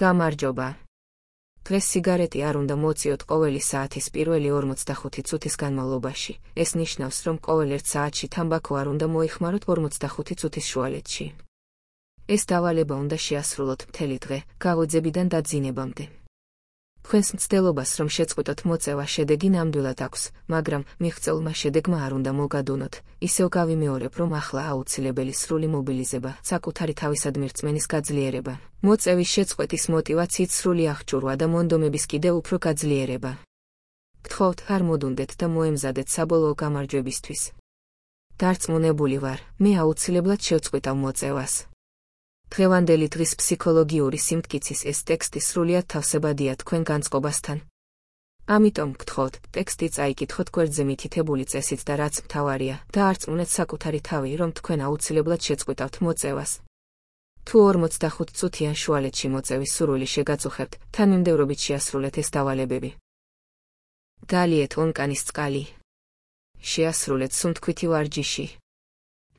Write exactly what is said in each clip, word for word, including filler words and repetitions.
გამარჯობა. დღეს სიგარეტი არ უნდა მოწიოთ ყოველი საათის პირველი ორმოცდახუთი წუთის განმავლობაში. ეს ნიშნავს, რომ ყოველ ერთ საათში თამბაქო არ უნდა მოიხმაროთ ორმოცდახუთი წუთის შუალედში. ეს დავალება უნდა შეასრულოთ მთელი დღე, გაღვიძებიდან დაძინებამდე. თქვენს მცდელობას რომ შეწყვიტოთ მოწევა შედეგი ნამდვილად აქვს, მაგრამ მიღწეულმა შედეგმა არ უნდა მოგადუნოთ. ისევ გავიმეორებ, რომ ახლა აუცილებელი სრული მობილიზება, საკუთარი თავისადმი რწმენის გაძლიერება, მოწევის შეწყვეტის მოტივაციით სრული აღჭურვა და მონდომების კიდევ უფრო გაძლიერება. გთხოვთ, არ მოდუნდეთ და მოემზადეთ საბოლოო გამარჯვებისთვის. დარწმუნებული ვარ, მე აუცილებლად შევწყვიტავ მოწევას. დღევანდელი დღის ფსიქოლოგიური სიმტკიცის ეს ტექსტი სრულიად თავსებადია თქვენ განწყობასთან. ამიტომ გთხოვთ, ტექსტი წაიკითხოთ გვერდზე მითითებული წესით და რაც მთავარია, დაარწმუნეთ საკუთარი თავი, რომ თქვენ აუცილებლად შეწყვიტავთ მოწევას. თუ ორმოცდახუთ წუთიან შუალედში მოწევის სურვილი შეგაწუხებთ, თანმიმდევრობით შეასრულეთ ეს დავალებები. გალიეთ ონკანის წყალი. შეასრულეთ სუნთქვითი ვარჯიში.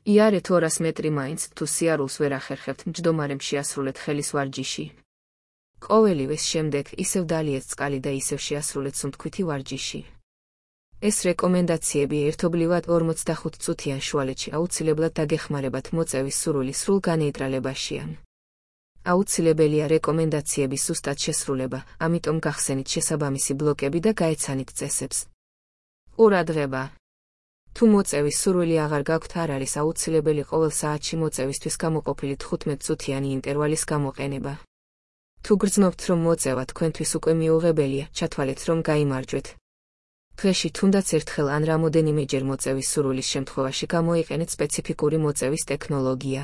იარეთ ორას მეტრი მაინც, თუ სიარულს ვერ ახერხებთ, მჯდომარემ შეასრულეთ ხელის ვარჯიში. ყოველივეს შემდეგ ისევ დალიეთ წყალი და ისევ შეასრულეთ სუნთქვითი ვარჯიში. ეს რეკომენდაციები ერთობლივად ორმოცდახუთ წუთიან შუალედში აუცილებლად დაგეხმარებათ მოწევის სურვილი სრულ განეიტრალებაშიან. აუცილებელია რეკომენდაციების ზუსტად შესრულება, ამიტომ გახსენით შესაბამისი ბლოკები და გაეცანით წესებს. ყურადღება. თუ მოწევის სურვილი აღარ გაქვთ, არ არის აუცილებელი ყოველ საათში მოწევისთვის გამოყოფილი თხუთმეტ წუთიანი ინტერვალის გამოყენება. თუ გრძნობთ, რომ მოწევა თქვენთვის უკვე მიუღებელია, ჩათვალეთ, რომ გაიმარჯვეთ. დღეში თუნდაც ერთხელ ან რამოდენიმეჯერ მოწევის სურვილის შემთხვევაში გამოიყენეთ სპეციფიკური მოწევის ტექნოლოგია.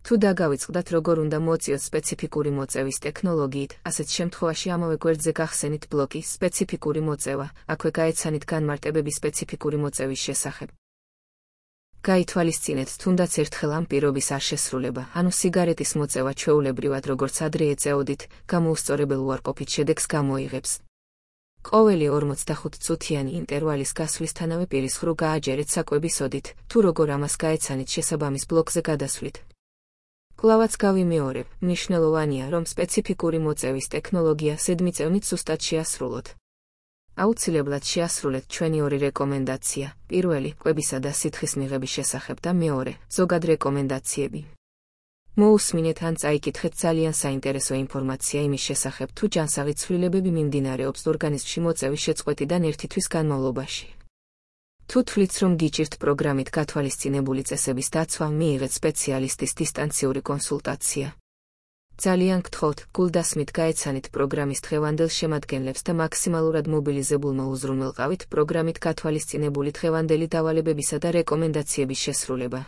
თუ დაგავიწყდათ, როგორ უნდა მოწიოთ სპეციფიკური მოწევის ტექნოლოგიით, ასეთ შემთხვევაში ამავე გვერდზე გახსენით ბლოკი სპეციფიკური მოწევა, აქვე გაეცანით განმარტებები სპეციფიკური მოწევის შესახებ. გაითვალისწინეთ თუნდაც ერთხელ ამ პირობის არ შესრულება, ანუ სიგარეტის მოწევა ჩვეულებრივად როგორც ადრე ეწეოდით, გამოუსწორებელ უარყოფით შედეგს გამოიღებს. ყოველი ორმოცდახუთ წუთიანი ინტერვალის გასვლისთანავე პირის ხვრუ გააჯერეთ საკვების ოდით, თუ როგორ ამას გაეცანით შესაბამის ბლოკზე გადასვლით. კლავაც გავიმეორებ, მნიშვნელოვანია, რომ სპეციფიკური მოწევის ტექნოლოგია ზედმიწევნით ზუსტად შეასრულოთ. აუცილებლად შეასრულეთ ჩვენი ორი რეკომენდაცია, პირველი, კვებისა და სითხის მიღების შესახებ და მეორე, ზოგად რეკომენდაციები. მოусმინეთ ან წაიკითხეთ ძალიან საინტერესო ინფორმაცია იმის შესახებ, თუ ჯანსაღი ცვლილებები მიმდინარეობს ორგანიზმში მოწევის შეწყვეტიდან ერთი თვის განმავლობაში. თუ თვლით, რომ გიჭირთ პროგრამით გათვალისწინებული წესების დაცვა, მიიღეთ სპეციალისტის დისტანციური კონსულტაცია. ძალიან გთხოვთ, გულდასმით გაეცანით პროგრამის დღევანდელ შემადგენლებს და მაქსიმალურად მობილიზებულმა უზრუნველყავით პროგრამით გათვალისწინებული დღევანდელი დავალებებისა და რეკომენდაციების შესრულება.